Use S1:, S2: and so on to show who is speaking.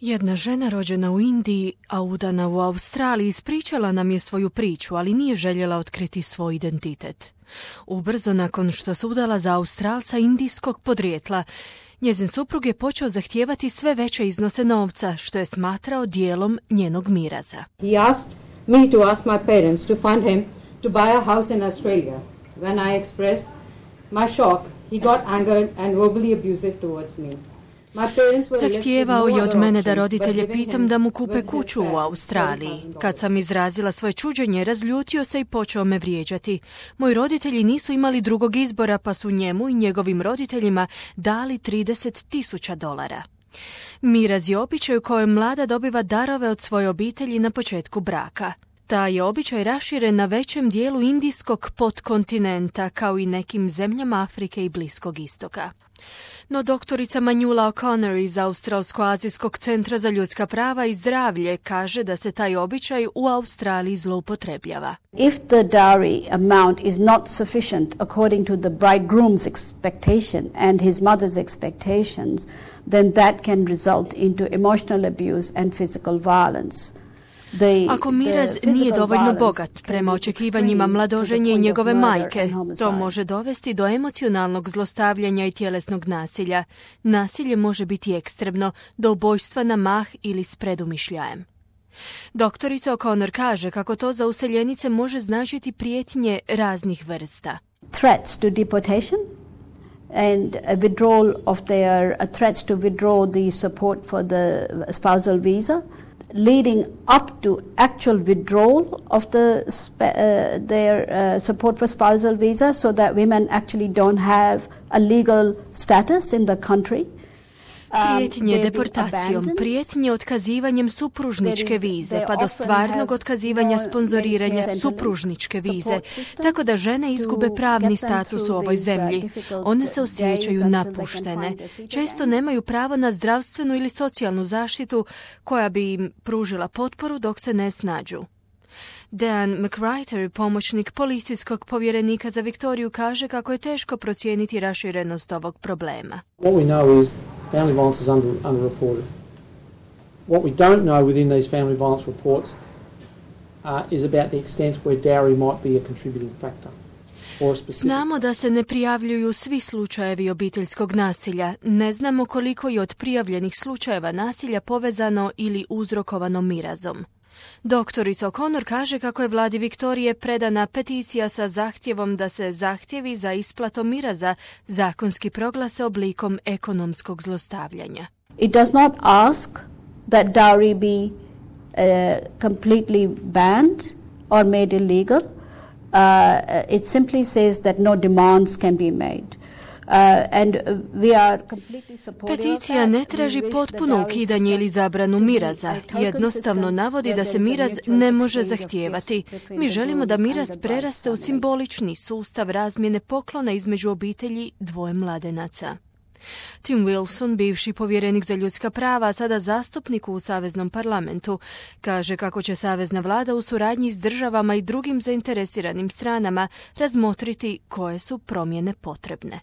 S1: Jedna žena rođena u Indiji, a udana u Australiji, ispričala nam je svoju priču, ali nije željela otkriti svoj identitet. Ubrzo nakon što se udala za Australca indijskog podrijetla, njezin suprug je počeo zahtijevati sve veće iznose novca, što je smatrao dijelom njenog miraza.
S2: He asked me to ask my parents to fund him to buy a house in Australia. When I expressed my shock, he got angered and verbally abusive towards me.
S1: Zahtijevao je od mene da roditelje pitam da mu kupe kuću u Australiji. Kad sam izrazila svoje čuđenje, razljutio se i počeo me vrijeđati. Moji roditelji nisu imali drugog izbora, pa su njemu i njegovim roditeljima dali $30,000. Miraz je običaj u kojem mlada dobiva darove od svoje obitelji na početku braka. Taj je običaj raširen na većem dijelu indijskog podkontinenta, kao i nekim zemljama Afrike i Bliskog istoka. No doktorica Manjula O'Connor iz Australsko-azijskog centra za ljudska prava i zdravlje kaže da se taj običaj u Australiji zloupotrebljava.
S3: If the dowry amount is not sufficient according to the bridegroom's expectation and his mother's expectations, then that can result into emotional abuse and physical violence.
S1: Ako miraz nije dovoljno bogat prema očekivanjima mladoženje i njegove majke, to može dovesti do emocionalnog zlostavljanja i tjelesnog nasilja. Nasilje može biti ekstremno, do ubojstva na mah ili s predumišljajem. Doktorica O'Connor kaže kako to za useljenice može značiti prijetnje raznih vrsta.
S3: Threats to deportation and a withdrawal of their threats to withdraw the support for the spousal visa, leading up to actual withdrawal of their support for spousal visa, so that women actually don't have a legal status in the country.
S1: Prijetnje deportacijom, prijetnje otkazivanjem supružničke vize, pa do stvarnog otkazivanja sponzoriranja supružničke vize, tako da žene izgube pravni status u ovoj zemlji. One se osjećaju napuštene. Često nemaju pravo na zdravstvenu ili socijalnu zaštitu koja bi im pružila potporu dok se ne snađu. Dan McWriter, pomoćnik policijskog povjerenika za Viktoriju, kaže kako je teško procijeniti raširenost ovog problema.
S4: What we know is family violence is underreported. What we don't know within these family violence reports is about the extent where dowry might be a contributing factor.
S1: Znamo da se ne prijavljuju svi slučajevi obiteljskog nasilja. Ne znamo koliko je od prijavljenih slučajeva nasilja povezano ili uzrokovano mirazom. Doktorica O'Connor kaže kako je vladi Viktorije predana peticija sa zahtjevom da se zahtjevi za isplatom miraza zakonski proglase oblikom ekonomskog zlostavljanja.
S3: It does not ask that dowry be completely banned or made illegal. It simply says that no demands can be made.
S1: Peticija ne traži potpuno ukidanje ili zabranu miraza. Jednostavno navodi da se miraz ne može zahtijevati. Mi želimo da miraz preraste u simbolični sustav razmjene poklona između obitelji dvoje mladenaca. Tim Wilson, bivši povjerenik za ljudska prava, a sada zastupnik u Saveznom parlamentu, kaže kako će savezna vlada u suradnji s državama i drugim zainteresiranim stranama razmotriti koje su promjene potrebne.